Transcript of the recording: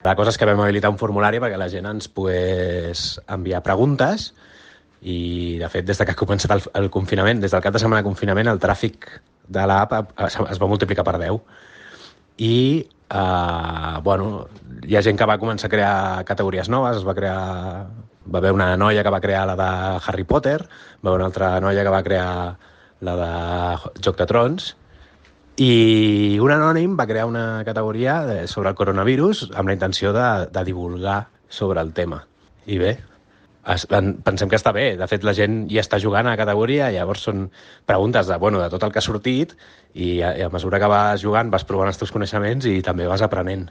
La cosa és que vam habilitar un formulari perquè la gent ens pogués enviar preguntes i, de fet, des que ha començat el confinament, des del cap de setmana de confinament, el tràfic de l'app es va multiplicar per 10. I, bueno, hi ha gent que va començar a crear categories noves, va haver una noia que va crear la de Harry Potter, va haver una altra noia que va crear la de Joc de Trons, i un anònim va crear una categoria sobre el coronavirus amb la intenció de divulgar sobre el tema. I bé, pensem que està bé. De fet, la gent ja està jugant a la categoria, llavors són preguntes de tot el que ha sortit i a mesura que vas jugant vas provant els teus coneixements i també vas aprenent.